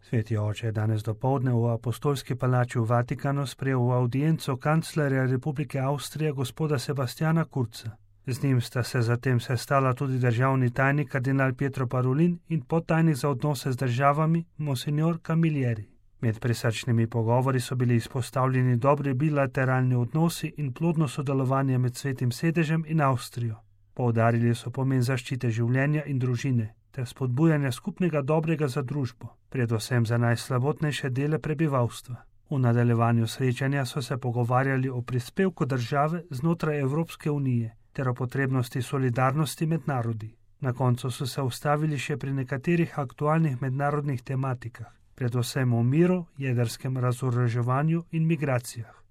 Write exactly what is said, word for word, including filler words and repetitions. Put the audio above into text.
Sveti oče je danes dopoldne v apostolski palači v Vatikanu sprejel v audienco kanclerja Republike Avstrije gospoda Sebastiana Kurza. Z njim sta se zatem sestala tudi državni tajnik kardinal Pietro Parolin in podtajnik za odnose z državami monsignor Camilleri. Med prisrčnimi pogovori so bili izpostavljeni dobri bilateralni odnosi in plodno sodelovanje med Svetim sedežem in Avstrijo. Poudarili so pomen zaščite življenja in družine ter spodbujanja skupnega dobrega za družbo, predvsem za najslabotnejše dele prebivalstva. V nadaljevanju srečanja so se pogovarjali o prispevku države znotraj Evropske unije ter o potrebnosti solidarnosti med narodi. Na koncu so se ustavili še pri nekaterih aktualnih mednarodnih tematikah, predvsem o miru, jedrskem razoroževanju in migracijah.